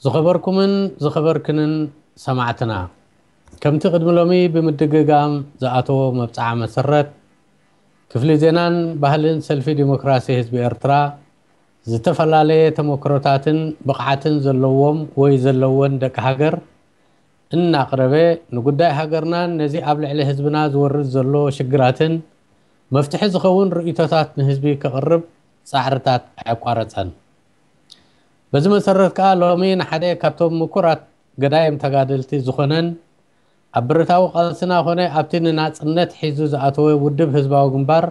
ዝኸበርኩምን ዝኸበርክንን ሰማዕትና፣ ከምቲ ቅድሚ ሎሚ ብምድግጋም ዝኣተዎ መብጽዓ መሰረት፣ ክፍሊ ዜናን ባህልን ሰልፊ ዲሞክራሲ ህዝቢ ኤርትራ ዝተፈላለየ ተመክሮታትን ብቕዓትን ዘለዎም ወይ ዘለወን ደቂ ሃገር እናቕረበ፣ ንጉዳይ ሃገርናን ነዚ ኣብ ልዕሊ ህዝብና ዝወርድ ዘሎ ሽግራትን መፍትሒ ዝኸውን ርእይቶታት ንህዝቢ ከቕርብ ጻዕርታት ኣየቋረጸን። በዚ መሰረት ከኣ ሎሚ ንሓደ ካብቶም ምኩራት ገዳይም ተጋደልቲ ዝኾነን ኣብ ብረታዊ ቃልስና ኾነ ኣብቲ ንናጽነት ሒዙ ዝኣተወ ውድብ ህዝባዊ ግንባር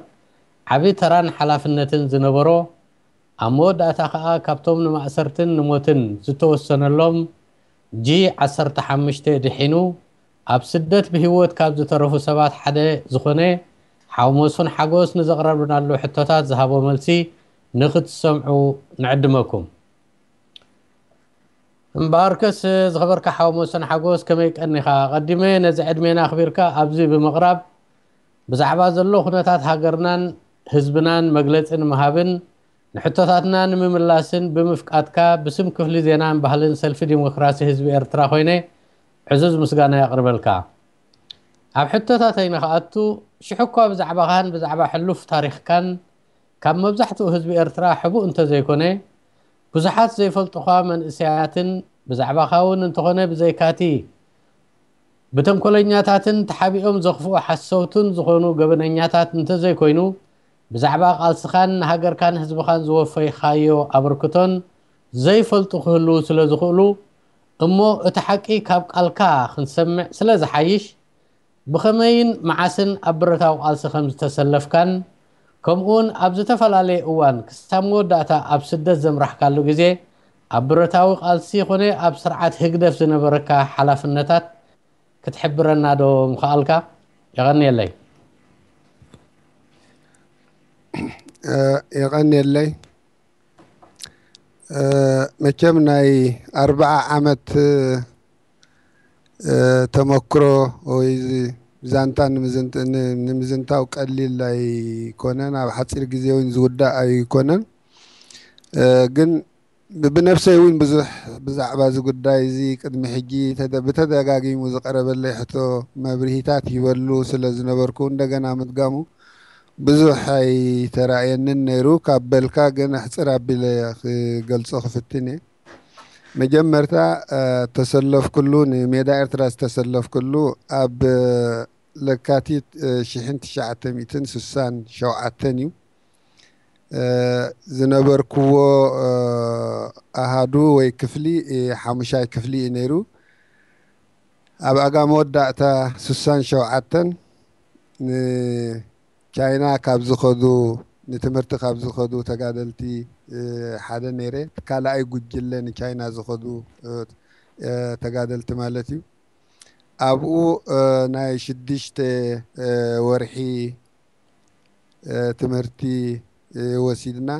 ዓቢ ተራን ሓላፍነትን ዝነበሮ፣ ኣብ መወዳእታ ከኣ ካብቶም ንማእሰርትን ንሞትን ዝተወሰነሎም ጂ ዓሰርተ ሓሙሽተ ድሒኑ ኣብ ስደት ብህይወት ካብ ዝተረፉ ሰባት ሓደ ዝኾነ ሓው መስፍን ሓጎስ ንዘቕረብናሉ ሕቶታት ዝሃቦ መልሲ ንኽትሰምዑ ንዕድመኩም። እምበኣርከስ ዝኸበርካ ሓው መስፍን ሓጎስ ከመይ ቀኒኻ? ኣቐዲመ ነዚ ዕድሜና ኣኽቢርካ ኣብዚ ብምቕራብ ብዛዕባ ዘሎ ኩነታት ሃገርናን ህዝብናን መግለጺ ንምሃብን ንሕቶታትና ንምምላስን ብምፍቃድካ ብስም ክፍሊ ዜናን ባህልን ሰልፊ ዲሞክራሲ ህዝቢ ኤርትራ ኮይነ ዕዙዝ ምስጋና የቕርበልካ። ኣብ ሕቶታተይ ንኽኣቱ፣ ሽሕ እኳ ብዛዕባኻን ብዛዕባ ሕሉፍ ታሪኽካን ካብ መብዛሕትኡ ህዝቢ ኤርትራ ሕቡእ እንተዘይኮነ፣ ብዙሓት ዘይፈልጡኻ መንእሰያትን ብዛዕባኻ እውን እንተኾነ ብዘይካቲ ብተንኮለኛታትን ተሓቢኦም ዘኽፍኡ ሓሰውትን ዝኾኑ ገበነኛታት እንተዘይኮይኑ፣ ብዛዕባ ቃልስኻን ንሃገርካን ህዝብኻን ዝወፈይካዮ ኣበርክቶን ዘይፈልጡ ክህልዉ ስለ ዝኽእሉ፣ እሞ እቲ ሓቂ ካብ ቃልካ ክንሰምዕ ስለ ዝሓይሽ፣ ብኸመይን መዓስን ኣብ ብረታዊ ቃልሲ ከም ዝተሰለፍካን፣ ከምኡውን ኣብ ዝተፈላለየ እዋን ክሳብ መወዳእታ ኣብ ስደት ዘምራሕካሉ ግዜ፣ ኣብ ብረታዊ ቃልሲ ኮነ ኣብ ስርዓት ህግደፍ ዝነበረካ ሓላፍነታት ክትሕብረና ዶ ምኸኣልካ? የቐንየለይ። እ፣ የቐንየለይ። እ፣ መቸም ናይ ኣርብዓ ዓመት፣ እ፣ ተመክሮ ወይ ዛንታ ንምዝንት-፣ ን-፣ ንምዝንታው ቀሊል ኣይኮነን። ኣብ ሓፂር ግዜ እውን ዝውዳእ ኣይኮነን። እ፣ ግን ብ-፣ ብነፍሰይ እውን ብዙሕ ብዛዕባ እዚ ጉዳይ እዚ ቅድሚ ሕጂ ተደ-፣ ብተደጋጊሙ ዝቐረበለይ ሕቶ መብርሂታት ይበሉ ስለ ዝነበርኩ እንደገና ምድጋሙ ብዙሕ ኣይተራእየንን ነይሩ። ካብ በልካ ግን ኣሕፅር ኣቢለ ክገልጾ ክፍትን እየ። መጀመርታ፣ እ፣ ተሰለፍኩሉ፣ ንሜዳ ኤርትራ ዝተሰለፍኩሉ ኣብ ለካቲት፣ እ፣ ሽሕን ትሽዓተ ሚእትን ስሳን ሸውዓተን እዩ። እ፣ ዝነበርኩዎ፣ እ፣ ኣሃዱ ወይ ክፍሊ፣ እ፣ ሓሙሻይ ክፍሊ እዩ ነይሩ። ኣብ ኣጋ መወዳእታ ስሳን ሸውዓተን ንቻይና ካብ ዝኸዱ፣ ንትምህርቲ ካብ ዝኸዱ ተጋደልቲ፣ እ፣ ሓደ ነይረ። እቲ ካልኣይ ጉጅለ ንቻይና ዝኸዱ፣ እ፣ እ፣ ተጋደልቲ ማለት እዩ። ኣብኡ፣ እ፣ ናይ ሽዱሽተ፣ እ፣ ወርሒ፣ እ፣ ትምህርቲ፣ እ፣ ወሲድና።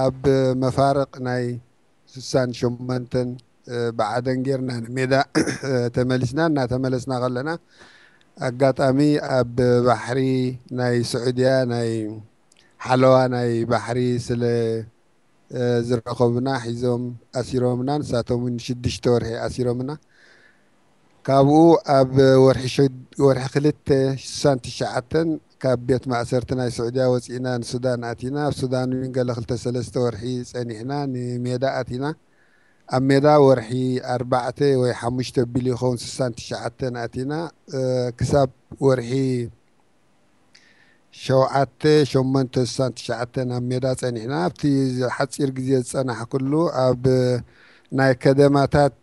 ኣብ መፋርቕ ናይ ስሳን ሸሞንተን፣ እ፣ ብዓደን ጌርና ንሜዳ፣ እ፣ ተመሊስና። እናተመለስና ከለና ኣጋጣሚ ኣብ ባሕሪ ናይ ስዑድያ ናይ ሓለዋ ናይ ባሕሪ ስለ፣ እ፣ ዝረኸቡና ሒዞም ኣሲሮምና። ንሳቶም እውን ሽዱሽተ ወርሒ ኣሲሮምና። ካብኡ ኣብ ወርሒ ሸ-፣ ወርሒ ክልተ ስሳን ትሽዓተን ካብ ቤት ማእሰርቲ ናይ ስዑድያ ወፂእና ንሱዳን ኣቲና። ኣብ ሱዳን እውን ገለ ክልተ ሰለስተ ወርሒ ፀኒሕና ንሜዳ ኣቲና። ኣብ ሜዳ ወርሒ ኣርባዕተ ወይ ሓሙሽተ ቢሉ ይኸውን ስሳን ትሽዓተን ኣቲና። እ፣ ክሳብ ወርሒ ሸውዓተ፣ ሸሞንተ፣ ስሳን ትሽዓተን ኣብ ሜዳ ጸኒሕና። ኣብቲ ሓጺር ግዜ ዝጸናሕኩሉ ኣብ ናይ ከደማታት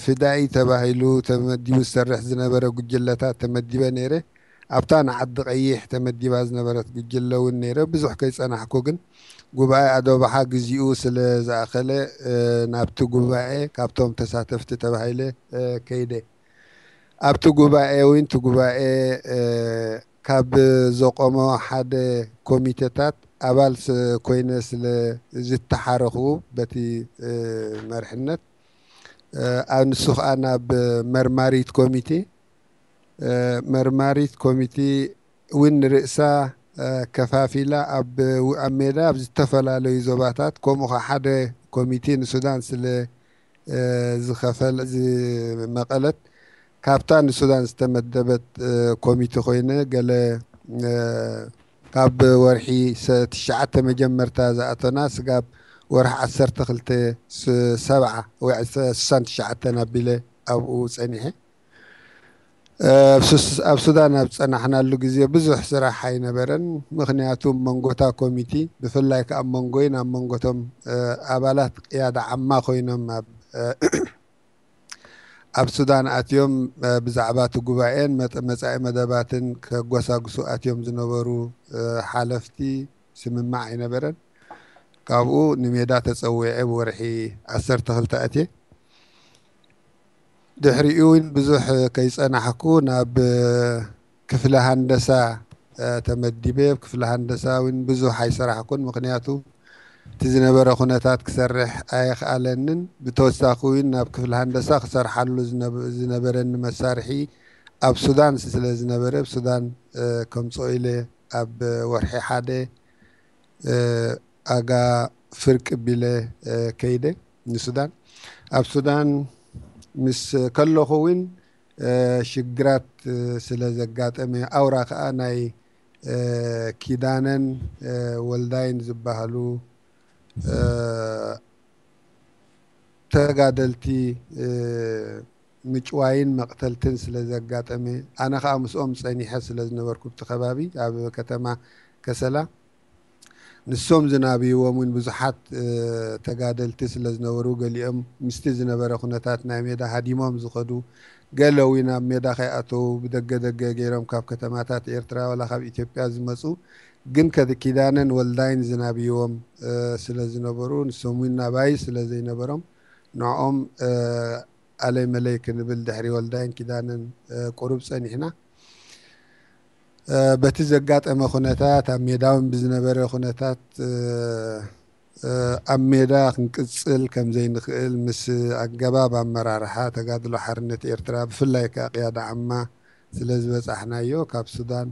ፍዳኢ ተባሂሉ ተመዲቡ ዝሰርሕ ዝነበረ ጉጅለታት ተመዲበ ነይረ። ኣብታ ንዓዲ ቀይሕ ተመዲባ ዝነበረት ጉጅለ እውን ነይረ። ብዙሕ ከይጸናሕኩ ግን ጉባኤ ኣዶባሓ ግዚኡ ስለ ዝኣኸለ፣ እ፣ ናብቲ ጉባኤ ካብቶም ተሳተፍቲ ተባሂለ፣ እ፣ ከይደ። ኣብቲ ጉባኤ እውን እቲ ጉባኤ፣ እ፣ ካብ ዘቆሞ ሓደ ኮሚቴታት ኣባል ስ-፣ ኮይነ ስለ ዝተሓረኹ በቲ፣ እ፣ መርሕነት፣ እ፣ ኣብ ንሱ ኸኣ ናብ መርማሪት ኮሚቴ፣ እ፣ መርማሪት ኮሚቴ እውን ንርእሳ፣ እ፣ ከፋፊላ ኣብ፣ ኣብ ሜዳ ኣብ ዝተፈላለዩ ዞባታት ከምኡ ኸዓ ሓደ ኮሚቴ ንሱዳን ስለ ዝኸፈል ዝመቐለት ካብታ ንሱዳን ዝተመደበት ኮሚቴ ኮይነ፣ ገለ ካብ ወርሒ ትሽዓተ መጀመርታ ዝኣተና ስጋብ ወርሒ ዓሰርተ ክልተ ሰብዓ ወይ ስሳን ትሽዓተን ኣቢለ ኣብኡ ፀኒሐ። ኣብ ሱዳን ኣብ ፀናሕናሉ ግዜ ብዙሕ ስራሕ ኣይነበረን። ምክንያቱ መንጎታ ኮሚቲ ብፍላይ ከዓ ኣብ መንጎይን ኣብ መንጎቶም ኣባላት ቅያዳ ዓማ ኮይኖም ኣብ ኣብ ሱዳን ኣትዮም ብዛዕባ እቲ ጉባኤን መፃኢ መደባትን ከጎሳጉሱ ኣትዮም ዝነበሩ ሓለፍቲ ስምማዕ ኣይነበረን። ካብኡ ንሜዳ ተፀዊዐ ብወርሒ ዓሰርተ ክልተ ኣትየ። ድሕሪኡ እውን ብዙሕ ከይፀናሕኩ ናብ ክፍለ ሃንደሳ ተመዲበ። ክፍለ ሃንደሳ እውን ብዙሕ ኣይሰራሕኩን፣ ምክንያቱ እቲ ዝነበረ ኩነታት ክሰርሕ ኣየኽኣለንን። ብተወሳኺ እውን ናብ ክፍለ ሃንደሳ ክሰርሓሉ ዝነበረኒ መሳርሒ ኣብ ሱዳን ስለ ዝነበረ፣ ኣብ ሱዳን ከምፅኦ ኢለ ኣብ ወርሒ ሓደ ኣጋ ፍርቂ ቢለ ከይደ ንሱዳን። ኣብ ሱዳን ምስ ከለኹ እውን ሽግራት ስለ ዘጋጠመ፣ ኣውራ ከዓ ናይ ኪዳነን ወልዳይን ዝበሃሉ ተጋደልቲ ምጭዋይን መቕተልትን ስለ ዘጋጠመ፣ ኣነ ከዓ ምስኦም ፀኒሐ ስለ ዝነበርኩ፣ ኣብቲ ከባቢ ኣብ ከተማ ከሰላ ንሶም ዝናብይዎም እውን ብዙሓት ተጋደልቲ ስለ ዝነበሩ፣ ገሊኦም ምስቲ ዝነበረ ኩነታት ናይ ሜዳ ሃዲሞም ዝኸዱ፣ ገለ እውን ኣብ ሜዳ ከይኣተዉ ብደገ ደገ ገይሮም ካብ ከተማታት ኤርትራ ዋላ ካብ ኢትዮጵያ ዝመፁ፣ ግን ከ ኪዳነን ወልዳይን ዝናብይዎም ስለ ዝነበሩ፣ ንሶም እውን ናባይ ስለ ዘይነበሮም፣ ንዕኦም ኣለይ መለይ ክንብል ድሕሪ ወልዳይን ኪዳነን ቁሩብ ፀኒሕና። በቲ ዘጋጠመ ኩነታት፣ ኣብ ሜዳ እውን ብዝነበረ ኩነታት ኣብ ሜዳ ክንቅፅል ከም ዘይንኽእል ምስ ኣገባብ ኣመራርሓ ተጋድሎ ሓርነት ኤርትራ፣ ብፍላይ ከዓ ቅያዳ ዓማ ስለ ዝበፃሕናዮ፣ ካብ ሱዳን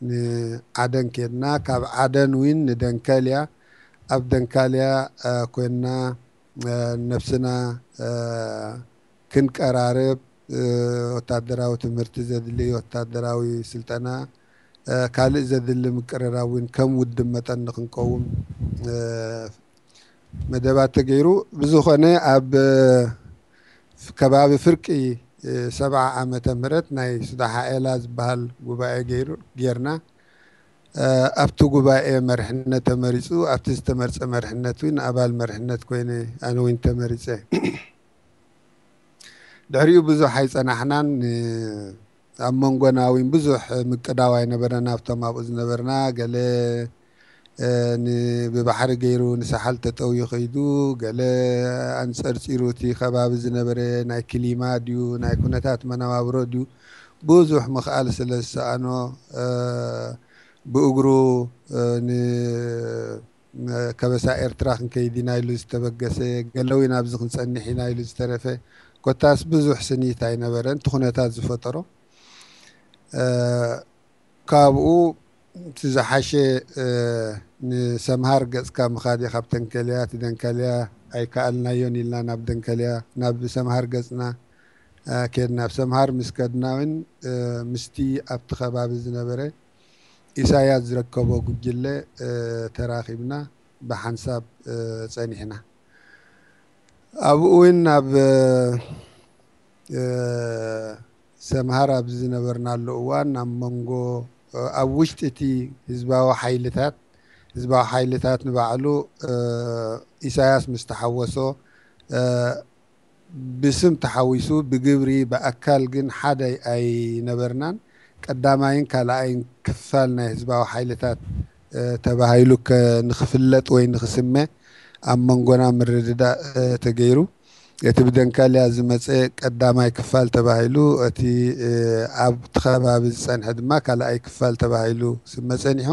ንዓደን ኬድና፣ ካብ ዓደን እውን ንደንከልያ፣ ኣብ ደንካልያ ኮይንና ነብስና ክንቀራርብ፣ ወታደራዊ ትምህርቲ ዘድሊ፣ ወታደራዊ ስልጠና፣ ካልእ ዘድሊ ምቅርራብ እውን ከም ውድብ መጠን ንክንቀውም መደባት ተገይሩ። ብዝኾነ ኣብ ከባቢ ፍርቂ ሰብዓ ዓመተ ምህረት ናይ ሱዳሓ ኤላ ዝበሃል ጉባኤ ገይሩ ጌርና። ኣብቲ ጉባኤ መርሕነት ተመሪፁ፣ ኣብቲ ዝተመርፀ መርሕነት እውን ኣባል መርሕነት ኮይነ ኣነ እውን ተመሪፀ። ድሕሪኡ ብዙሕ ኣይፀናሕናን። ኣብ መንጎና እውን ብዙሕ ምቅዳው ኣይነበረን። ኣብቶም ኣብኡ ዝነበርና ገለ ብባሕሪ ገይሩ ንሳሓል ተጠውዩ ከይዱ፣ ገለ ኣንፀርፂሩ እቲ ከባቢ ዝነበረ ናይ ክሊማ ድዩ ናይ ኩነታት መነባብሮ ድዩ ብዙሕ ምኽኣል ስለ ዝሰኣኖ ብእግሩ ን ከበሳ ኤርትራ ክንከይድ ኢና ኢሉ ዝተበገሰ፣ ገለ እውን ኣብዚ ክንጸንሕ ኢና ኢሉ ዝተረፈ፣ ኮታስ ብዙሕ ስኒት ኣይነበረን። እቲ ኩነታት ዝፈጠሮ ካብኡ እቲ ዝሓሸ ንሰምሃር ገጽካ ምኻድ እየ። ካብ ተንከልያ እቲ ደንከልያ ኣይከኣልናዮን ኢልና ናብ ደንከልያ ናብ ሰምሃር ገጽና ከድና። ኣብ ሰምሃር ምስ ከድና እውን ምስቲ ኣብቲ ከባቢ ዝነበረ ኢሳያስ ዝረከቦ ጉጅለ ተራኺብና ብሓንሳብ ጸኒሕና። ኣብኡ እውን ኣብ ሰምሃር ኣብ ዝነበርናሉ እዋን ኣብ መንጎ ኣብ ውሽጢ እቲ ህዝባዊ ሓይልታት ህዝባዊ ሓይልታት ንባዕሉ ኢሳያስ ምስ ተሓወሶ ብስም ተሓዊሱ ብግብሪ ብኣካል ግን ሓደ ኣይነበርናን። ቀዳማይን ካልኣይን ክፋል ናይ ህዝባዊ ሓይልታት ተባሂሉ ንክፍለጥ ወይ ንክስመ ኣብ መንጎና ምርድዳእ ተገይሩ። እቲ ብደንካልያ ዝመፀ ቀዳማይ ክፋል ተባሂሉ፣ እቲ ኣብቲ ከባቢ ዝፀንሐ ድማ ካልኣይ ክፋል ተባሂሉ ስመ ፀኒሑ።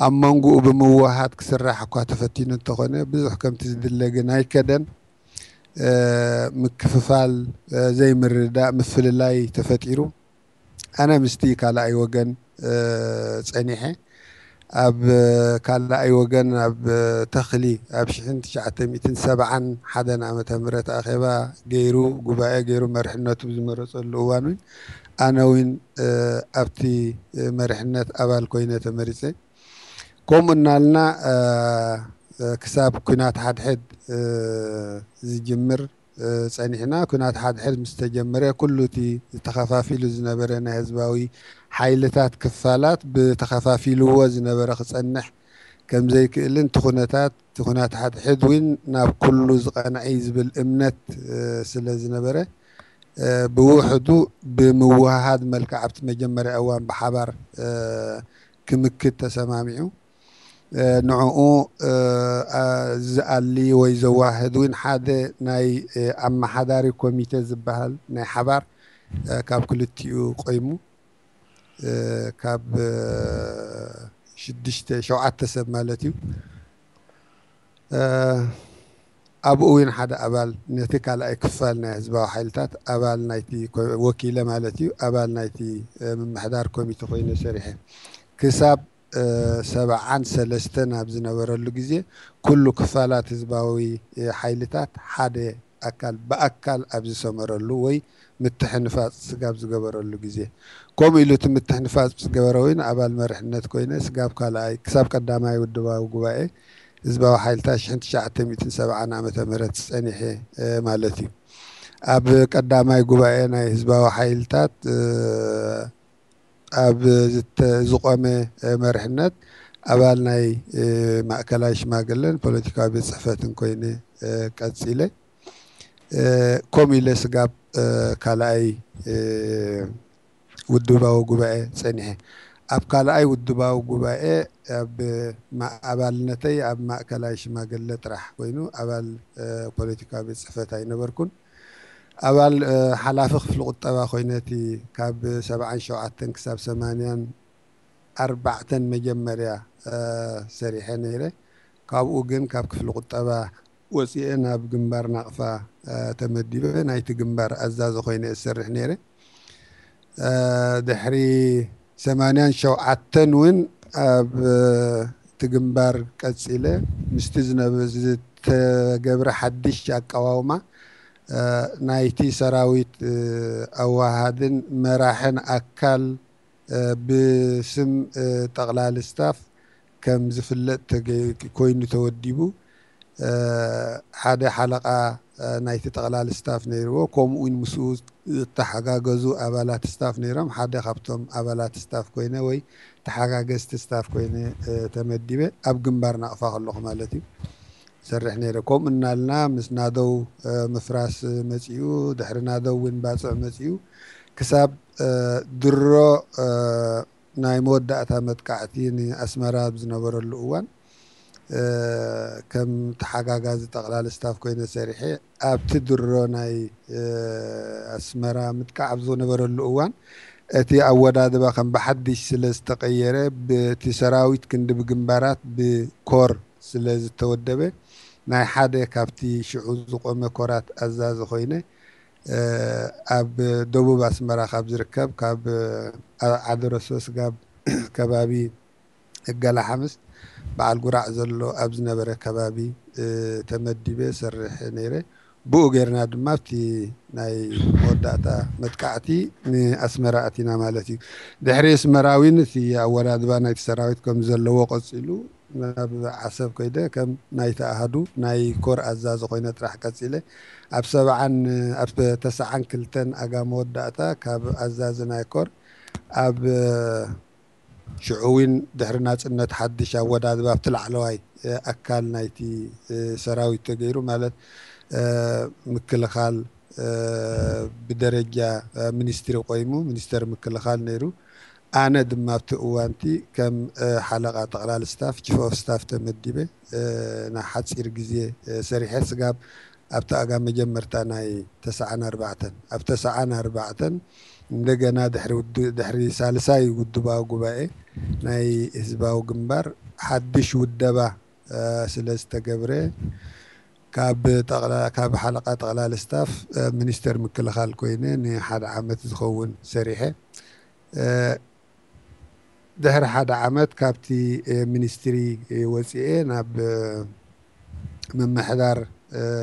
ኣብ መንጎኡ ብምውሃድ ክስራሕ እኳ ተፈቲኑ እንተኾነ ብዙሕ ከምቲ ዝድለ ግን ኣይከደን። ምክፍፋል፣ ዘይምርዳእ፣ ምፍልላይ ተፈጢሩ። ኣነ ምስቲ ካልኣይ ወገን ፀኒሐ። ኣብ ካልኣይ ወገን ኣብ ተኽሊ ኣብ ሽሕን ትሽዓተ ሚእትን ሰብዓን ሓደን ዓመተ ምህረት ኣኼባ ገይሩ፣ ጉባኤ ገይሩ፣ መርሕነቱ ብዝመረጸሉ እዋን እውን ኣነ እውን ኣብቲ መርሕነት ኣባል ኮይነ ተመሪጸ። ከምኡ እናልና ክሳብ ኲናት ሓድሕድ ዝጅምር ጸኒሕና። ኲናት ሓድሕድ ምስ ተጀመረ፣ ኩሉ እቲ ዝተኸፋፊሉ ዝነበረ ናይ ህዝባዊ ሓይልታት ክፋላት ብተኸፋፊልዎ ዝነበረ ክጸንሕ ከም ዘይክእልን፣ እቲ ኩነታት፣ እቲ ኲናት ሓድሕድ እውን ናብ ኩሉ ዝቐንዐ እዩ ዝብል እምነት ስለ ዝነበረ፣ ብውሕዱ ብምውህሃድ መልክዕ ኣብቲ መጀመርያ እዋን ብሓባር ክምክት ተሰማሚዑ። ንዕኡ ዝኣሊ ወይ ዘዋህድ እውን ሓደ ናይ ኣመሓዳሪ ኮሚቴ ዝበሃል ናይ ሓባር ካብ ክልቲኡ ቆይሙ፣ ካብ ሽዱሽተ ሸውዓተ ሰብ ማለት እዩ። ኣብኡ እውን ሓደ ኣባል፣ ነቲ ካልኣይ ክፋል ናይ ህዝባዊ ሓይልታት ኣባል ናይቲ ወኪለ ማለት እዩ፣ ኣባል ናይቲ ምምሕዳር ኮሚቴ ኮይነ ሰሪሐ። ክሳብ ሰብዓን ሰለስተን ኣብ ዝነበረሉ ግዜ፣ ኩሉ ክፋላት ህዝባዊ ሓይልታት ሓደ ኣካል ብኣካል ኣብ ዝሰመረሉ ወይ ምትሕንፋጽ ስጋብ ዝገበረሉ ግዜ፣ ከምኡ ኢሉ እቲ ምትሕንፋጽ ምስ ገበረ እውን ኣባል መርሕነት ኮይነ ስጋብ ካልኣይ ክሳብ ቀዳማይ ውድባዊ ጉባኤ ህዝባዊ ሓይልታት ሽሕን ትሽዓተ ሚእትን ሰብዓን ዓመተ ምህረት ጸኒሐ ማለት እዩ። ኣብ ቀዳማይ ጉባኤ ናይ ህዝባዊ ሓይልታት ኣብ ዝተ- ዝቖመ መርሕነት ኣባል ናይ ማእከላይ ሽማግለን ፖለቲካዊ ቤት ጽሕፈትን ኮይነ ቀጺለ። ከምኡ ኢለ ስጋብ ካልኣይ ውድባዊ ጉባኤ ጸኒሐ። ኣብ ካልኣይ ውድባዊ ጉባኤ ኣብ ማ- ኣባልነተይ ኣብ ማእከላይ ሽማግለ ጥራሕ ኮይኑ፣ ኣባል ፖለቲካዊ ቤት ጽሕፈት ኣይነበርኩን። ኣባል ሓላፊ ክፍሊ ቁጠባ ኮይነ፣ እቲ ካብ ሰብዓን ሸውዓተን ክሳብ ሰማንያን ኣርባዕተን መጀመርያ ሰሪሐ ነይረ። ካብኡ ግን ካብ ክፍሊ ቁጠባ ወፂኤ ናብ ግንባር ናቕፋ ተመዲበ፣ ናይቲ ግንባር ኣዛዚ ኮይነ እሰርሕ ነይረ። ድሕሪ ሰማንያን ሸውዓተን እውን ኣብ እቲ ግንባር ቀፂለ። ምስቲ ዝነበ- ዝተገብረ ሓድሽ ኣቀዋውማ ናይቲ ሰራዊት ኣወሃሃድን መራሕን ኣካል ብስም ጠቕላሊ ስታፍ ከም ዝፍለጥ ተገ- ኮይኑ ተወዲቡ። ሓደ ሓለቓ ናይቲ ጠቕላሊ ስታፍ ነይርዎ፣ ከምኡ እውን ምስኡ ዝተሓጋገዙ ኣባላት ስታፍ ነይሮም። ሓደ ካብቶም ኣባላት ስታፍ ኮይነ ወይ ተሓጋገዝቲ ስታፍ ኮይነ ተመዲበ፣ ኣብ ግንባር ናቕፋ ከለኹ ማለት እዩ፣ ሰርሕ ነይረ። ከምኡ እናልና ምስ ናደው ምፍራስ መፂኡ፣ ድሕሪ ናደው እውን ባፅዕ መፂኡ፣ ክሳብ ድሮ ናይ መወዳእታ መጥቃዕቲ ንኣስመራ ኣብ ዝነበረሉ እዋን ከም ተሓጋጋዚ ጠቕላሊ ስታፍ ኮይነ ሰሪሐ። ኣብቲ ድሮ ናይ ኣስመራ ምጥቃዕ ኣብ ዝነበረሉ እዋን፣ እቲ ኣወዳድባ ከም ብሓድሽ ስለ ዝተቐየረ፣ ብቲ ሰራዊት ክንዲ ብግንባራት ብኮር ስለ ዝተወደበ፣ ናይ ሓደ ካብቲ ሽዑ ዝቆመ ኮራት ኣዛዚ ኮይነ ኣብ ደቡብ ኣስመራ ካብ ዝርከብ ካብ ዓደረሶ ስጋብ ከባቢ እገላ ሓምስ በዓል ጉራዕ ዘሎ ኣብ ዝነበረ ከባቢ ተመዲበ ሰርሕ ነይረ። ብኡ ጌርና ድማ ኣብቲ ናይ መወዳእታ መጥቃዕቲ ንኣስመራ ኣቲና ማለት እዩ። ድሕሪ ኣስመራ እውን እቲ ኣወዳድባ ናይቲ ሰራዊት ከም ዘለዎ ቀፂሉ ናብ ዓሰብ ከይደ ከም ናይቲ ኣሃዱ ናይ ኮር ኣዛዚ ኮይነ ጥራሕ ቀፂለ። ኣብ ሰብዓን ኣብ ተስዓን ክልተን ኣጋ መወዳእታ ካብ ኣዛዚ ናይ ኮር ኣብ ሽዑ እውን ድሕሪ ናጽነት ሓድሽ ኣወዳድባ ኣብቲ ላዕለዋይ ኣካል ናይቲ ሰራዊት ተገይሩ፣ ማለት ምክልኻል ብደረጃ ሚኒስትሪ ቆይሙ፣ ሚኒስተር ምክልኻል ነይሩ። ኣነ ድማ ኣብቲ እዋንቲ ከም ሓለቓ ጠቕላሊ ስታፍ፣ ቺፍ ኦፍ ስታፍ ተመዲበ ንሓጺር ግዜ ሰሪሐ፣ ስጋብ ኣብቲ ኣጋ መጀመርታ ናይ ተስዓን ኣርባዕተን፣ ኣብ ተስዓን ኣርባዕተን እንደገና ድሕሪ ሳልሳይ ውድባዊ ጉባኤ ናይ ህዝባዊ ግንባር ሓድሽ ውደባ ስለ ዝተገብረ፣ ካብ ሓለቓ ጠቕላሊ ስታፍ ሚኒስተር ምክልኻል ኮይነ ንሓደ ዓመት ዝኸውን ሰሪሐ። ድሕሪ ሓደ ዓመት ካብቲ ሚኒስትሪ ወፂኤ ናብ ምምሕዳር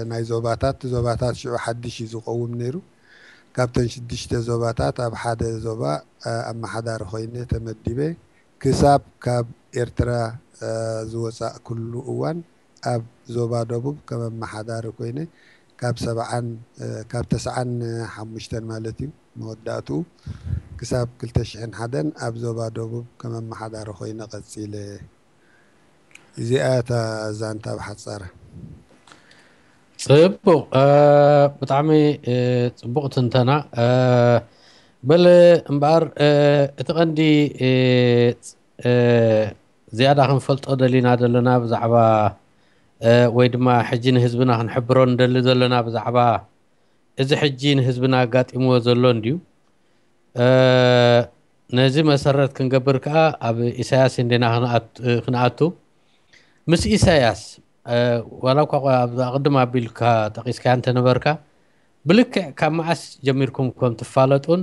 ናይ ዞባታት፣ ዞባታት ሽዑ ሓድሽ እዩ ዝቀውም ነይሩ። ካብተን ሽዱሽተ ዞባታት ኣብ ሓደ ዞባ ኣመሓዳሪ ኮይነ ተመዲበ። ክሳብ ካብ ኤርትራ ዝወፃእ ኩሉ እዋን ኣብ ዞባ ደቡብ ከም ኣመሓዳሪ ኮይነ ካብ ሰብዓን ካብ ተስዓን ሓሙሽተን ማለት እዩ መወዳእትኡ ክሳብ ክልተ ሽሕን ሓደን ኣብ ዞባ ደቡብ ከም ኣመሓዳሪ ኮይነ ቀፂለ። እዚኣ እታ ዛንታ ብሓፃረ። ጽቡቕ፣ ብጣዕሚ ጽቡቕ ትንተና። በለ እምበኣር እቲ ቀንዲ ዝያዳ ክንፈልጦ ደሊና ዘለና ብዛዕባ ወይ ድማ ሕጂ ንህዝብና ክንሕብሮ ንደሊ ዘለና ብዛዕባ እዚ ሕጂ ንህዝብና ኣጋጢምዎ ዘሎ እንድዩ። ነዚ መሰረት ክንገብር ከኣ ኣብ ኢሳያስ እንዲና ክንኣቱ። ምስ ኢሳያስ ዋላ እኳ ኣብዚ ኣቕድም ኣቢልካ ጠቒስካያ እንተነበርካ፣ ብልክዕ ካብ መዓስ ጀሚርኩም ከም ትፋለጡን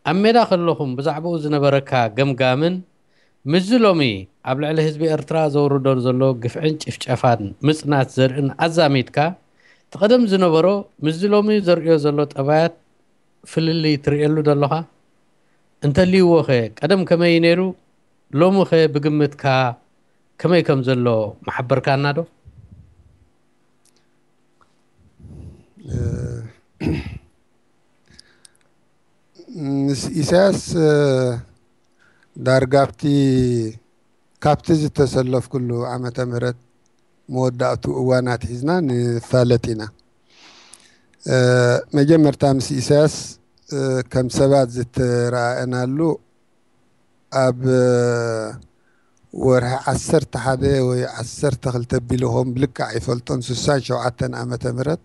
ኣብ ሜዳ ከለኹም ብዛዕባኡ ዝነበረካ ገምጋምን ምስዚ ሎሚ ኣብ ልዕሊ ህዝቢ ኤርትራ ዘውርዶ ዘሎ ግፍዕን ጭፍጨፋን ምጽናት ዘርእን ኣዛሚድካ፣ እቲ ቀደም ዝነበሮ ምስዚ ሎሚ ዘርእዮ ዘሎ ጠባያት ፍልልይ ትርእየሉ ዶ ኣለኻ? እንተልይዎ ኸ ቀደም ከመይ ነይሩ፣ ሎሚ ኸ ብግምትካ ከመይ ከም ዘሎ ምሓበርካና ዶ? ምስ ኢሳያስ ዳርጋ ኣብቲ ካብቲ ዝተሰለፍኩሉ ዓመተ ምህረት መወዳእቱ እዋን ኣትሒዝና ንፋለጥ ኢና። መጀመርታ ምስ ኢሳያስ ከም ሰባት ዝተረኣእናሉ ኣብ ወርሒ ዓሰርተ ሓደ ወይ ዓሰርተ ክልተ ቢሉ ኾም ብልክዕ ኣይፈልጦን፣ ስሳን ሸውዓተን ዓመተ ምህረት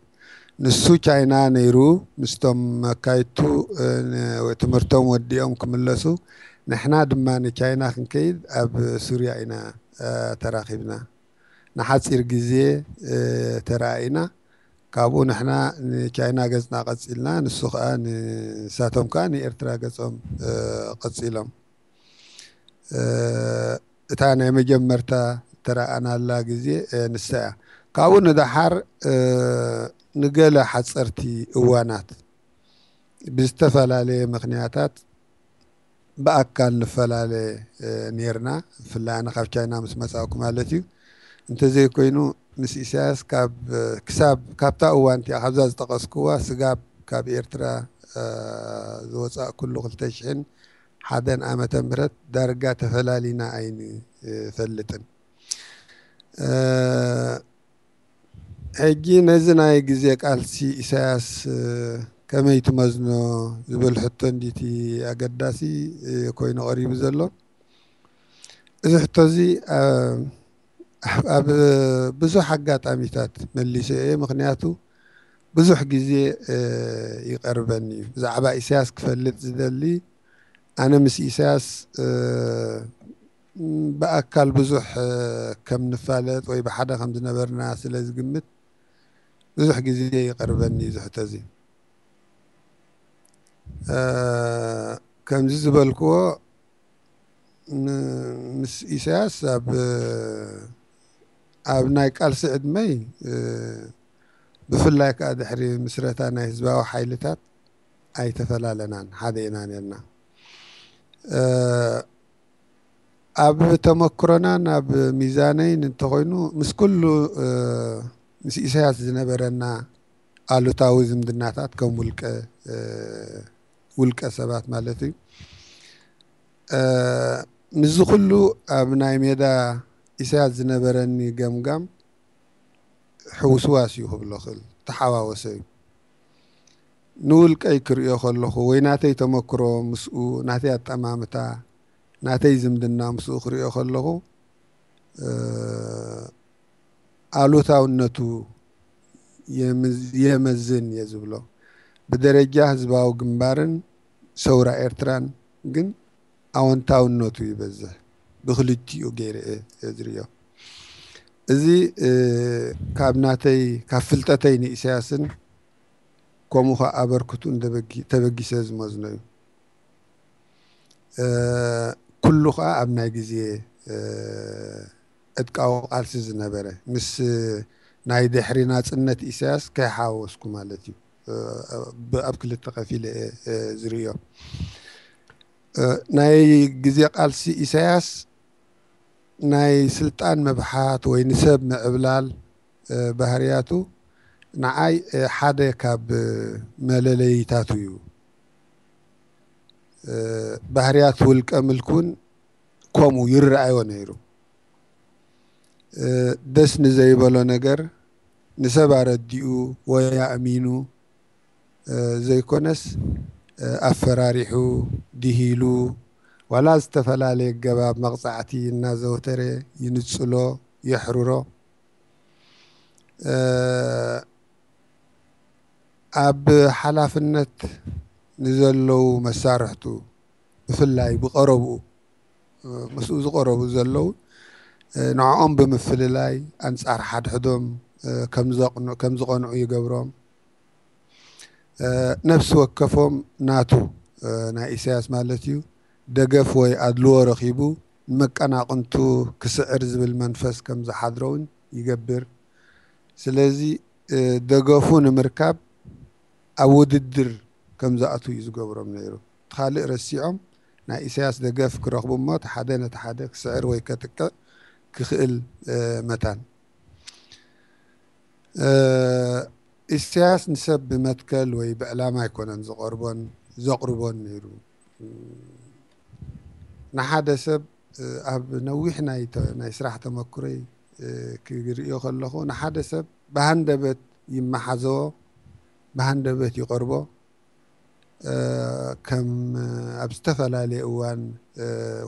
ንሱ ቻይና ነይሩ ምስቶም መካይቱ ትምህርቶም ወዲኦም ክምለሱ፣ ንሕና ድማ ንቻይና ክንከይድ ኣብ ሱርያ ኢና ተራኺብና። ንሓፂር ግዜ ተረኣኢና። ካብኡ ንሕና ንቻይና ገፅና ቀፂልና፣ ንሱ ከዓ ንሳቶም ከዓ ንኤርትራ ገፆም ቀፂሎም። እታ ናይ መጀመርታ ተረኣናላ ግዜ ንሳ እያ። ካብኡ ንደሓር ንገለ ሓፀርቲ እዋናት ብዝተፈላለየ ምክንያታት ብኣካል ንፈላለ ነርና። ብፍላይ ኣነ ካብ ቻይና ምስ መፃእኩ ማለት እዩ። እንተዘይኮይኑ ምስ ኢሳያስ ክሳብ ካብታ እዋን እቲኣ ካብዛ ዝጠቐስኩዋ ስጋብ ካብ ኤርትራ ዝወፃእኩሉ ክልተ ሽሕን ሓደን ዓመተ ምህረት ዳርጋ ተፈላሊና ኣይንፈልጥን። ሕጂ ነዚ ናይ ግዜ ቃልሲ ኢሳያስ ከመይ ትመዝኖ ዝብል ሕቶ እንዲቲ ኣገዳሲ ኮይኑ ቀሪቡ ዘሎ። እዚ ሕቶ እዚ ኣብ ብዙሕ ኣጋጣሚታት መሊሰ እየ። ምክንያቱ ብዙሕ ግዜ ይቀርበኒ እዩ። ብዛዕባ ኢሳያስ ክፈልጥ ዝደሊ ኣነ ምስ ኢሳያስ ብኣካል ብዙሕ ከም ንፋለጥ ወይ ብሓደ ከም ዝነበርና ስለ ዝግምት ብዙሕ ግዜ ይቐርበኒ እዚ ሕቶ እዚ። ከምዚ ዝበልክዎ ምስ ኢሳያስ ኣብ ኣብ ናይ ቃልሲ ዕድመይ ብፍላይ ከዓ ድሕሪ ምስረታ ናይ ህዝባዊ ሓይልታት ኣይተፈላለናን፣ ሓደ ኢና ነርና። ኣብ ተመክሮናን ኣብ ሚዛነይን እንተኾይኑ ምስ ኩሉ ምስ ኢሳያስ ዝነበረና ኣሉታዊ ዝምድናታት ከም ውልቀ ውልቀ ሰባት ማለት እዩ። ምስዚ ኩሉ ኣብ ናይ ሜዳ ኢሳያስ ዝነበረኒ ገምጋም ሕውስዋስ እዩ ክብሎ ክእል፣ ተሓዋወሰ እዩ። ንውልቀይ ክርእዮ ከለኹ ወይ ናተይ ተመክሮ ምስኡ፣ ናተይ ኣጠማምታ፣ ናተይ ዝምድና ምስኡ ክርእዮ ከለኹ ኣሉታውነቱ የመዝን እየ ዝብሎ። ብደረጃ ህዝባዊ ግንባርን ሰውራ ኤርትራን ግን ኣወንታውነቱ ይበዝሕ። ብክልቲኡ ገይረ እየ ዝርእዮ። እዚ ካብ ናተይ ካብ ፍልጠተይ ንኢሳያስን ከምኡ ከዓ ኣበርክቱን ተበጊሰ ዝመዝኖ እዩ። ኩሉ ከዓ ኣብ ናይ ግዜ ዕጥቃዊ ቃልሲ ዝነበረ፣ ምስ ናይ ድሕሪ ናፅነት ኢሳያስ ከይሓወስኩ ማለት እዩ። ኣብ ክልተ ከፊለ ዝርእዮ። ናይ ግዜ ቃልሲ ኢሳያስ ናይ ስልጣን ምብሓት ወይ ንሰብ ምዕብላል ባህርያቱ ንዓይ ሓደ ካብ መለለይታቱ እዩ። ባህርያት ውልቀ ምልኩን ከምኡ ይረኣዮ ነይሩ። ደስ ንዘይበሎ ነገር ንሰብ ኣረዲኡ ወይ ኣእሚኑ ዘይኮነስ ኣፈራሪሑ፣ ድሂሉ፣ ዋላ ዝተፈላለየ ገባብ መቕጻዕቲ እናዘውተረ ይንጽሎ፣ የሕርሮ። ኣብ ሓላፍነት ንዘለዉ መሳርሕቱ ብፍላይ ብቐረብኡ ምስኡ ዝቐረቡ ዘለዉ ንዕኦም ብምፍልላይ ኣንጻር ሓድሕዶም ከም ዝቐንዑ ይገብሮም። ነፍሲ ወከፎም ናቱ ናይ ኢሳያስ ማለት እዩ ደገፍ ወይ ኣድልዎ ረኺቡ ንመቀናቕንቱ ክስዕር ዝብል መንፈስ ከም ዝሓድሮ እውን ይገብር። ስለዚ ደገፉ ንምርካብ ኣብ ውድድር ከም ዝኣትዉ እዩ ዝገብሮም ነይሩ። እቲ ካልእ ረሲዖም ናይ ኢሳያስ ደገፍ ክረኽቡ እሞ እቲ ሓደ ነቲ ሓደ ክስዕር ወይ ከጥቅዕ ክኽእል መታን። ኢሳያስ ንሰብ ብመትከል ወይ ብዕላማ ኣይኮነን ዝቐርቦን ዘቕርቦን ነይሩ። ንሓደ ሰብ ኣብ ነዊሕ ናይ ስራሕ ተመክሮይ ክርእዮ ከለኹ ንሓደ ሰብ ብሃንደበት ይመሓዘዎ፣ ብሃንደበት ይቐርቦ። ከም ኣብ ዝተፈላለየ እዋን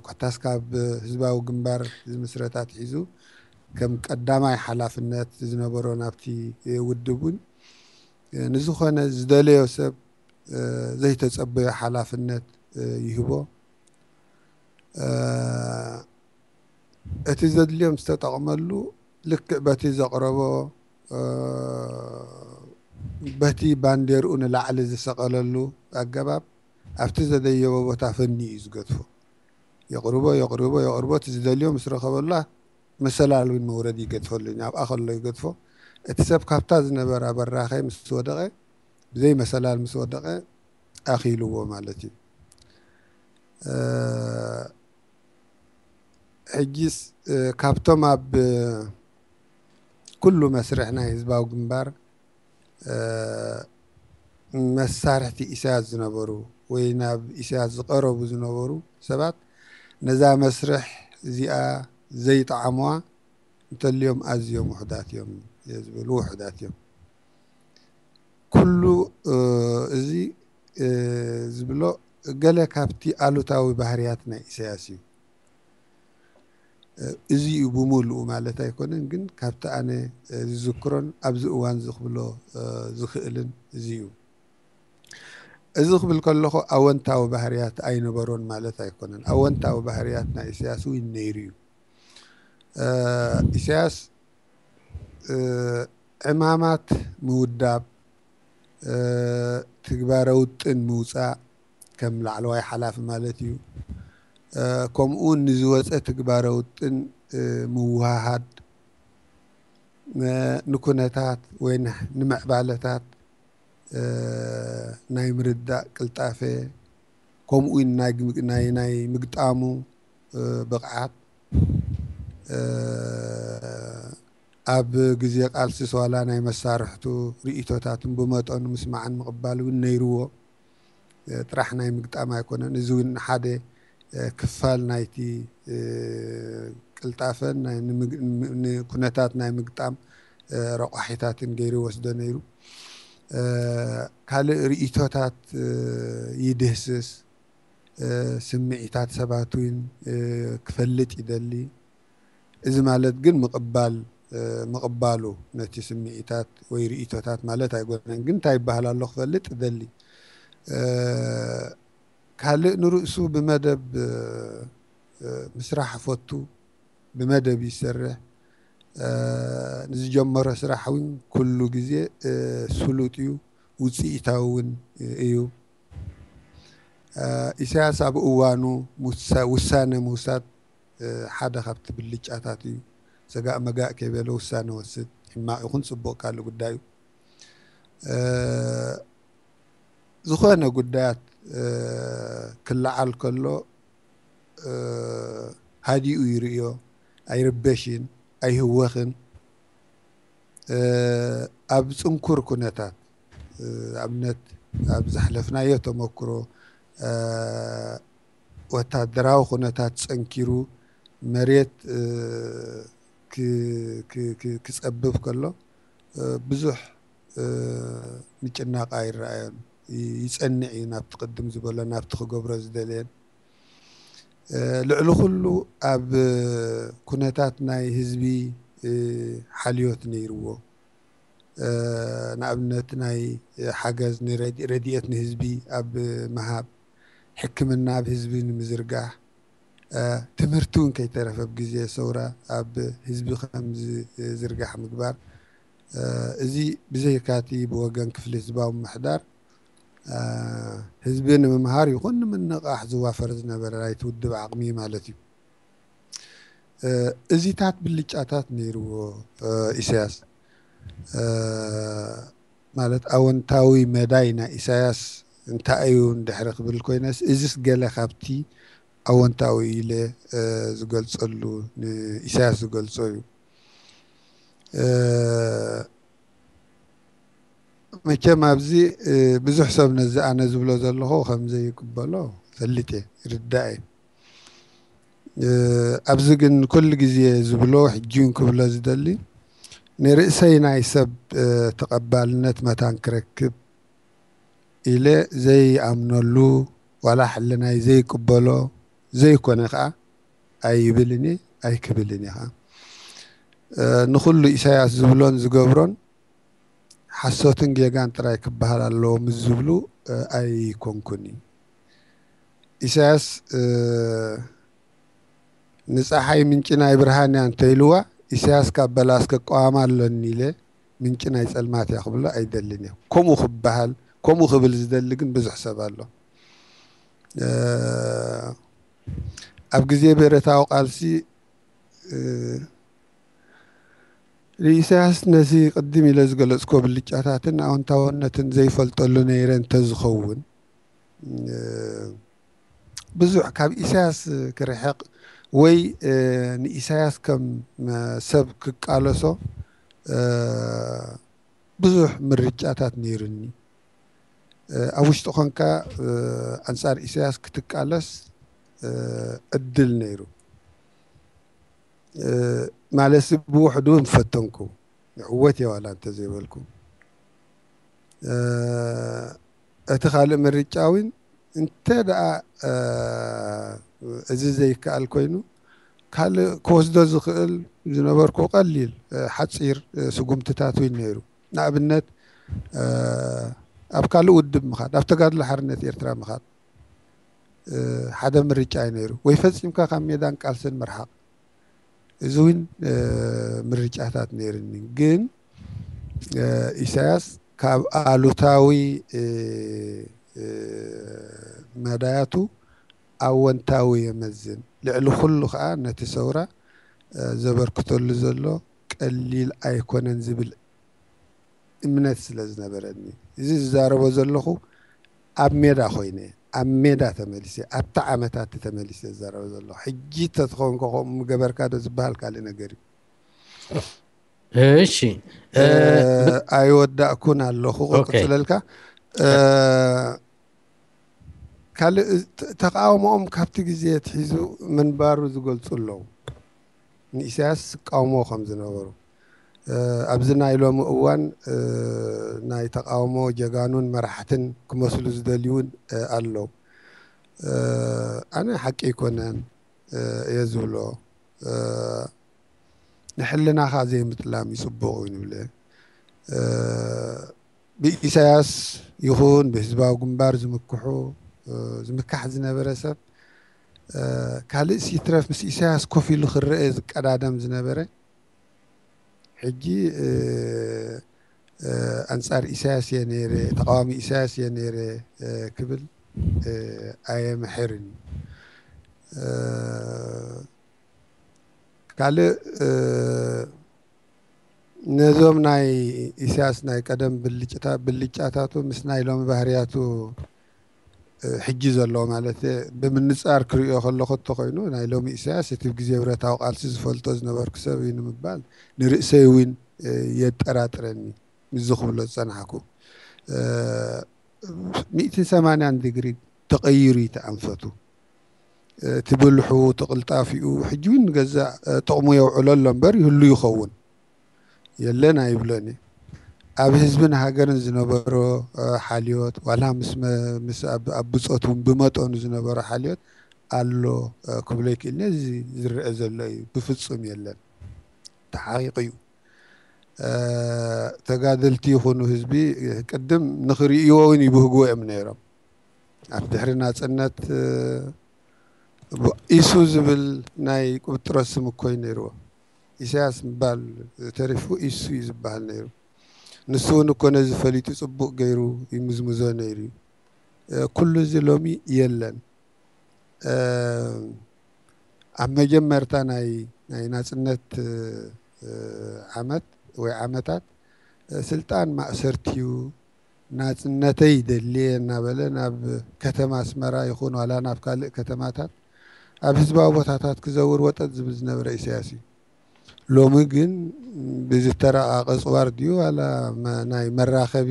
ኮታስ ካብ ህዝባዊ ግንባር ዝምስረት ኣትሒዙ ከም ቀዳማይ ሓላፍነት ዝነበሮ ናብቲ ውድብ እውን ንዝኾነ ዝደለዮ ሰብ ዘይተጸበዮ ሓላፍነት ይህቦ። እቲ ዘድልዮም ዝተጠቕመሉ ልክዕ በቲ ዘቕረቦ በቲ ባንዴርኡ ንላዕሊ ዝሰቐለሉ ኣገባብ ኣብቲ ዘደየቦ ቦታ ፈኒ እዩ ዝገድፎ። የቕርቦ የቕርቦ የቕርቦ እቲ ዝደልዮ ምስ ረኸበላ መሰላል እውን መውረድ ይገድፈሉ ኣብኣ ከሎ ይገድፎ። እቲ ሰብ ካብታ ዝነበራ በራኸ ምስ ወደቐ ብዘይ መሰላል ምስ ወደቐ ኣኺልዎ ማለት እዩ። ሕጂስ ካብቶም ኣብ ኩሉ መስርሕ ናይ ህዝባዊ ግንባር መሳርሕቲ ኢሳያስ ዝነበሩ ወይ ናብ ኢሳያስ ዝቐረቡ ዝነበሩ ሰባት ነዛ መስርሕ እዚኣ ዘይጠዓምዋ እንተልዮም ኣዝዮም ውሕዳት እዮም ዝብል ውሕዳት እዮም። ኩሉ እዚ ዝብሎ ገለ ካብቲ ኣሉታዊ ባህርያት ናይ ኢሳያስ እዩ። እዚ እዩ ብምሉኡ ማለት ኣይኮነን፣ ግን ካብቲ ኣነ ዝዝክሮን ኣብዚ እዋን ዝኽብሎ ዝኽእልን እዚ እዩ። እዚ ክብል ከለኹ ኣወንታዊ ባህርያት ኣይነበሮን ማለት ኣይኮነን። ኣወንታዊ ባህርያት ናይ ኢሳያስ እውን ነይሩ እዩ። ኢሳያስ ዕማማት ምውዳብ፣ ትግባረ ውጥን ምውፃእ ከም ላዕለዋይ ሓላፊ ማለት እዩ። ከምኡ እውን ንዝወፀ ትግባረ ውጥን ምውሃሃድ፣ ንኩነታት ወይ ንምዕባለታት ናይ ምርዳእ ቅልጣፈ፣ ከምኡ እውን ናይ ምግጣሙ ብቕዓት፣ ኣብ ግዜ ቃልሲ ስዋላ ናይ መሳርሕቱ ርእቶታትን ብመጠኑ ምስማዕን ምቕባል እውን ነይርዎ። ጥራሕ ናይ ምግጣም ኣይኮነን። እዚ እውን ሓደ ክፋል ናይቲ ቅልጣፈን ንኩነታት ናይ ምግጣም ረቋሒታትን ገይሩ ይወስዶ ነይሩ። ካልእ ርእቶታት ይድህስስ፣ ስምዒታት ሰባት እውን ክፈልጥ ይደሊ። እዚ ማለት ግን ምቕባል ምቕባሉ ነቲ ስምዒታት ወይ ርእቶታት ማለት ኣይኮነን፣ ግን እንታይ ይበሃል ኣሎ ክፈልጥ ይደሊ። ካልእ ንርእሱ ብመደብ ምስራሕ ፈቱ፣ ብመደብ ይሰርሕ። ንዝጀመሮ ስራሕ እውን ኩሉ ግዜ ስሉጥ እዩ፣ ውፅኢታዊ እውን እዩ። ኢሳያስ ኣብ እዋኑ ውሳነ ምውሳድ ሓደ ካብቲ ብልጫታት እዩ። ሰጋእ መጋእ ከይበለ ውሳነ ወስድ፣ ሕማቕ ይኹን ጽቡቕ ካልእ ጉዳይ እዩ። ዝኾነ ጉዳያት ክለዓል ከሎ ሃዲኡ ይርእዮ፣ ኣይርበሽን፣ ኣይህወኽን። ኣብ ጽንኩር ኩነታት ኣብነት ኣብ ዘሕለፍናዮ ተመክሮ ወታደራዊ ኩነታት ጸንኪሩ መሬት ክጸብብ ከሎ ብዙሕ ምጭናቕ ኣይረኣዮን። ይጸንዕ እዩ ናብቲ ቅድም ዝበሎ ናብቲ ክገብሮ ዝደለየን። ልዕሊ ኩሉ ኣብ ኩነታት ናይ ህዝቢ ሓልዮት ነይርዎ። ንኣብነት ናይ ሓገዝ ረድኤት ንህዝቢ ኣብ ምሃብ፣ ሕክምና ኣብ ህዝቢ ንምዝርጋሕ፣ ትምህርቲ እውን ከይተረፈ ኣብ ግዜ ሰውራ ኣብ ህዝቢ ከም ዝዝርጋሕ ምግባር። እዚ ብዘይካቲ ብወገን ክፍሊ ህዝባዊ ምሕዳር ህዝቢ ንምምሃር ይኹን ንምንቓሕ ዝዋፈር ዝነበረ ናይቲ ውድብ ዓቕሚ ማለት እዩ። እዚታት ብልጫታት ነይርዎ ኢሳያስ። ማለት ኣወንታዊ መዳይ ናይ ኢሳያስ እንታይ እዩ እንድሕሪ ክብል ኮይነስ፣ እዚስ ገለ ካብቲ ኣወንታዊ ኢለ ዝገልጸሉ፣ ንኢሳያስ ዝገልጾ እዩ። መቸም ኣብዚ ብዙሕ ሰብ ነዚ ኣነ ዝብሎ ዘለኹ ከም ዘይቅበሎ ፈልጥ እየ፣ ይርዳእ እየ። ኣብዚ ግን ኩሉ ግዜ ዝብሎ፣ ሕጂ እውን ክብሎ ዝደሊ፣ ንርእሰይ ናይ ሰብ ተቐባልነት መታን ክረክብ ኢለ ዘይኣምነሉ፣ ዋላ ሕልናይ ዘይቅበሎ ዘይኮነ ከኣ ኣይብልን እየ፣ ኣይክብልን እየ ከኣ። ንኹሉ ኢሳያስ ዝብሎን ዝገብሮን ሓሶትን ጌጋን ጥራይ ክበሃል ኣለዎ ምስ ዝብሉ ኣይኮንኩን። ኢሳያስ ንፀሓይ ምንጪ ናይ ብርሃን እያ እንተኢልዋ፣ ኢሳያስ ካብ በላስ ክቃወማ ኣለኒ ኢለ ምንጪ ናይ ጸልማት እያ ክብሎ ኣይደልን እየ። ከምኡ ክበሃል፣ ከምኡ ክብል ዝደሊ ግን ብዙሕ ሰብ ኣሎ። ኣብ ግዜ ብረታዊ ቃልሲ ንኢሳያስ ነዚ ቅድም ኢለ ዝገለጽኮ ብልጫታትን ኣወንታውነትን ዘይፈልጠሉ ነይረ እንተዝኸውን፣ ብዙሕ ካብ ኢሳያስ ክርሕቕ ወይ ንኢሳያስ ከም ሰብ ክቃለሶ ብዙሕ ምርጫታት ነይሩኒ። ኣብ ውሽጢ ኾንካ ኣንጻር ኢሳያስ ክትቃለስ ዕድል ነይሩ። ማለትሲ ብውሕዱ ምፈተንኩ፣ ይዕወት እየ ዋላ እንተዘይበልኩ። እቲ ካልእ ምርጫ እውን እንተ ደኣ እዚ ዘይከኣል ኮይኑ፣ ካልእ ክወስዶ ዝኽእል ዝነበርኩ ቀሊል ሓፂር ስጉምትታት እውን ነይሩ። ንኣብነት ኣብ ካልእ ውድብ ምኻድ፣ ኣብ ተጋድሎ ሓርነት ኤርትራ ምኻድ ሓደ ምርጫ እዩ ነይሩ፣ ወይ ፈጺምካ ካብ ሜዳን ቃልስን ምርሓቕ። እዚ እውን ምርጫታት ነይርኒ። ግን ኢሳያስ ካብ ኣሉታዊ መዳያቱ ኣወንታዊ የመዝን። ልዕሊ ኩሉ ከኣ ነቲ ሰውራ ዘበርክተሉ ዘሎ ቀሊል ኣይኮነን ዝብል እምነት ስለ ዝነበረኒ፣ እዚ ዝዛረቦ ዘለኹ ኣብ ሜዳ ኮይነ፣ ኣብ ሜዳ ተመሊሰ፣ ኣብቲ ዓመታት ተመሊሰ ዝዛረቦ ዘለኹ። ሕጂ ተትኸውን ከምኡ ምገበርካ ዶ ዝበሃል ካልእ ነገር እዩ። እሺ፣ ኣይወዳእኩን ኣለኹ። ክቅፅለልካ ካልእ ተቃውሞኦም ካብቲ ግዜ ትሒዙ ምንባሩ ዝገልፁ ኣለዉ። ንኢሳያስ ዝቃወሞ ከም ዝነበሩ ኣብዚ ናይ ሎሚ እዋን ናይ ተቃውሞ ጀጋኑን መራሕትን ክመስሉ ዝደልዩን ኣለዉ። ኣነ ሓቂ ኣይኮነን እየ ዝብሎ። ንሕልናኻ ዘይምጥላም ይፅቡቕ እዩ ንብለ። ብኢሳያስ ይኹን ብህዝባዊ ግንባር ዝምክሑ ዝምካሕ ዝነበረ ሰብ ካልእ ሲትረፍ ምስ ኢሳያስ ኮፍ ኢሉ ክረአ ዝቀዳደም ዝነበረ ሕጂ ኣንጻር ኢሳያስ እየ ነይረ፣ ተቃዋሚ ኢሳያስ እየ ነይረ ክብል ኣየምሕርን። ካልእ ነዞም ናይ ኢሳያስ ናይ ቀደም ብልጫታቱ ምስ ናይ ሎሚ ባህርያቱ ሕጂ ዘሎ ማለት ብምንጻር ክርእዮ ከለኹ እንተኾይኑ ናይ ሎሚ ኢሳያስ እቲ ግዜ ብረታዊ ቃልሲ ዝፈልጦ ዝነበርኩ ሰብ እዩ ንምባል ንርእሰይ እውን የጠራጥረኒ። ምዚ ክብሎ ዝጸናሕኩ ሚእትን ሰማንያን ዲግሪ ተቐይሩ እዩ እቲ ኣንፈቱ። እቲ ብልሑ፣ እቲ ቅልጣፊኡ ሕጂ እውን ንገዛእ ጥቕሙ የውዕሎ ኣሎ እምበር ይህሉ ይኸውን የለን ኣይብሎን እየ። ኣብ ህዝብን ሃገርን ዝነበሮ ሓልዮት ዋላ ምስ ኣብ ብጾት እውን ብመጠኑ ዝነበሮ ሓልዮት ኣሎ ክብሎ ይክእል። ነዚ ዝረአ ዘሎ እዩ ብፍጹም የለን። ተሓቂቑ እዩ። ተጋደልቲ ይኹኑ ህዝቢ ቅድም ንኽርእይዎ እውን ይብህግዎ እዮም ነይሮም። ኣብ ድሕሪ ናፅነት ኢሱ ዝብል ናይ ቁብጥሮት ስም እኮ እዩ ነይርዎ። ኢሳያስ ምባል ተሪፉ ኢሱ እዩ ዝበሃል ነይሩ። ንሱ እውን እኮ ነዚ ፈሊጡ ፅቡቕ ገይሩ ይምዝምዞ ነይሩ እዩ። ኩሉ እዚ ሎሚ የለን። ኣብ መጀመርታ ናይ ናይ ናጽነት ዓመት ወይ ዓመታት ስልጣን ማእሰርቲ እዩ፣ ናጽነተይ ይደሊ እየ እናበለ ናብ ከተማ ኣስመራ ይኹን ዋላ ናብ ካልእ ከተማታት ኣብ ህዝባዊ ቦታታት ክዘውር ወጠጥ ዝብል ዝነበረ ኢሳያስ እዩ። ሎሚ ግን ብዝተራቐቐ ጽዋር ድዩ ዋላ ናይ መራኸቢ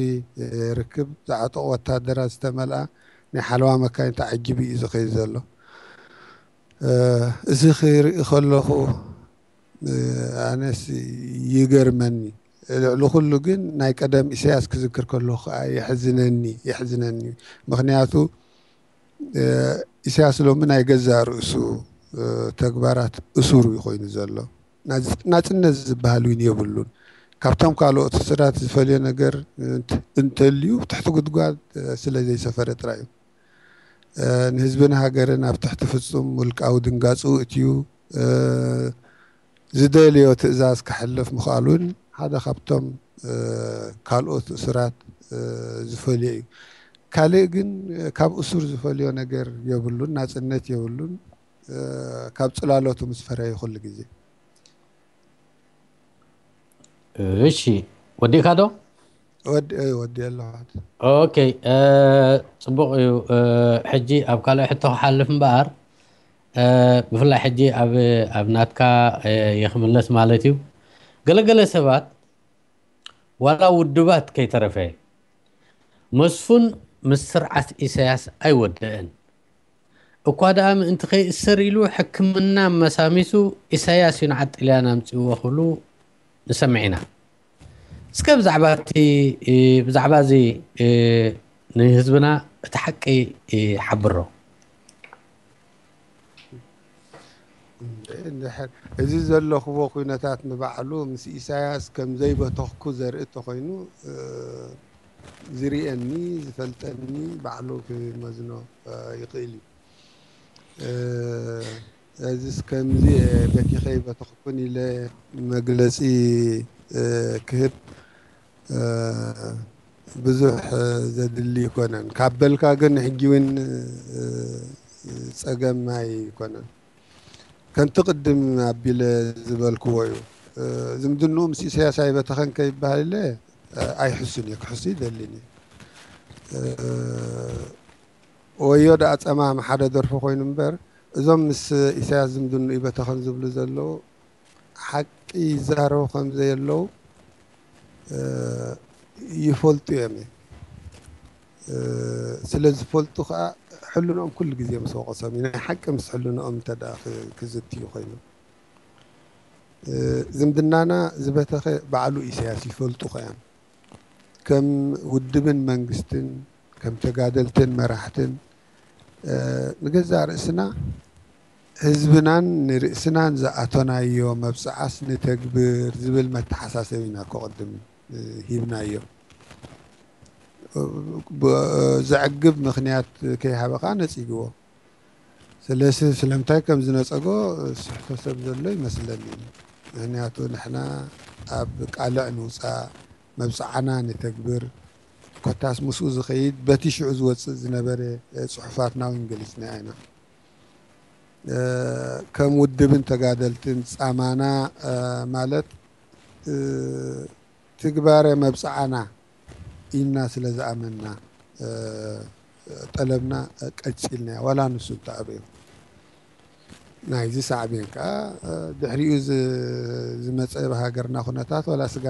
ርክብ ዝዓጠቑ ወታደራት ዝተመልኣ ናይ ሓለዋ መካይን ተዓጂቡ እዩ ዝኸይድ ዘሎ። እዚ ክርኢ ከለኹ ኣነስ ይገርመኒ። ልዕሊ ኩሉ ግን ናይ ቀደም ኢሳያስ ክዝክር ከለኹ ከዓ የሕዝነኒ የሕዝነኒ። ምኽንያቱ ኢሳያስ ሎሚ ናይ ገዛእ ርእሱ ተግባራት እሱር እዩ ኮይኑ ዘሎ። ናጽነት ዝበሃል እውን የብሉን። ካብቶም ካልኦት እሱራት ዝፈልዮ ነገር እንተልዩ ትሕቲ ጉድጓድ ስለ ዘይሰፈረ ጥራይ እዩ። ንህዝብን ሃገርን ኣብ ትሕቲ ፍጹም ውልቃዊ ድንጋጽኡ እትዩ ዝደልዮ ትእዛዝ ከሕልፍ ምኽኣሉን ሓደ ካብቶም ካልኦት እሱራት ዝፈልዮ እዩ። ካልእ ግን ካብ እሱር ዝፈልዮ ነገር የብሉን፣ ናጽነት የብሉን። ካብ ጽላሎቱ ምስ ፈረየ ኩሉ ግዜ። እሺ፣ ወዲእካ ዶ? ወዲ ወዲ ኣለዋት። ኦኬ፣ ጽቡቕ እዩ። ሕጂ ኣብ ካልእ ሕቶ ክሓልፍ እምበኣር፣ ብፍላይ ሕጂ ኣብ ኣብ ናትካ ይኽምለስ ማለት እዩ። ገለገለ ሰባት ዋላ ውድባት ከይተረፈ መስፉን ምስ ስርዓት ኢሳያስ ኣይወደአን። እኳ ደኣ ምእንቲ ከይእሰር ኢሉ ሕክምና መሳሚሱ ኢሳያስ እዩ ንዓጢልያን ኣምጺእዎ ክብሉ ንሰምዕ ኢና። እስከ ብዛዕባ እቲ ብዛዕባ እዚ ንህዝብና እቲ ሓቂ ሓብሮ። እዚ ዘለኽዎ ኩነታት ንባዕሉ ምስ ኢሳያስ ከም ዘይበተኽኩ ዘርኢ እንተኾይኑ ዝርእየኒ ዝፈልጠኒ ባዕሉ ክመዝኖ ይኽእል እዩ። እዚስ ከምዚ በቲኸ ይበተኽኩን ኢለ መግለፂ ክህብ ብዙሕ ዘድሊ ይኮነን። ካብ በልካ ግን ሕጂ እውን ፀገም ኣይኮነን። ከምቲ ቅድም ኣቢለ ዝበልክዎ እዩ። ዝምድንኡ ምስ ኢሳያስ ኣይበተኸን ከይበሃል ኢለ ኣይሕሱን እየ፣ ክሕሱ ይደልን እየ። ወዮ ደኣ ጸማም ሓደ ደርፊ ኮይኑ እምበር እዞም ምስ ኢሳያስ ዝምድንኡ ይበተኸን ዝብሉ ዘለዉ ሓቂ ይዛረቡ ከም ዘየለዉ ይፈልጡ እዮም። ስለ ዝፈልጡ ከዓ ሕልንኦም ኩሉ ግዜ ምስ ወቐሶም እዩ። ናይ ሓቂ ምስ ሕልንኦም እንተ ደኣ ክዝትዩ ኮይኑ ዝምድናና ዝበተኸ ባዕሉ ኢሳያስ ይፈልጡ ከ እዮም። ከም ውድብን መንግስትን ከም ተጋደልትን መራሕትን ንገዛእ ርእስና ህዝብናን ንርእስናን ዝኣተናዮ መብፅዓስ ንተግብር ዝብል መተሓሳሰቢ ኢና እኮ ቅድም ሂብናዮ። ዘዕግብ ምኽንያት ከይሃበ ከዓ ነፂግዎ። ስለዚ ስለምንታይ ከም ዝነፀጎ ስሕቶ ሰብ ዘሎ ይመስለኒ። ምኽንያቱ ንሕና ኣብ ቃልዕ ንውፃእ፣ መብፅዓና ንተግብር፣ ኮታስ ምስኡ ዝኸይድ በቲ ሽዑ ዝወፅእ ዝነበረ ጽሑፋትና እውን ገሊፅና ኢና። ከም ውድብን ተጋደልትን ፃማና ማለት ትግባረ መብፅዓና ኢልና ስለ ዝኣመንና ጠለብና ቀፂልና፣ ዋላ ንሱ እንተኣበዮ። ናይዚ ሳዕቤን ከዓ ድሕሪኡ ዝመፀ ብሃገርና ኩነታት ዋላ ስጋ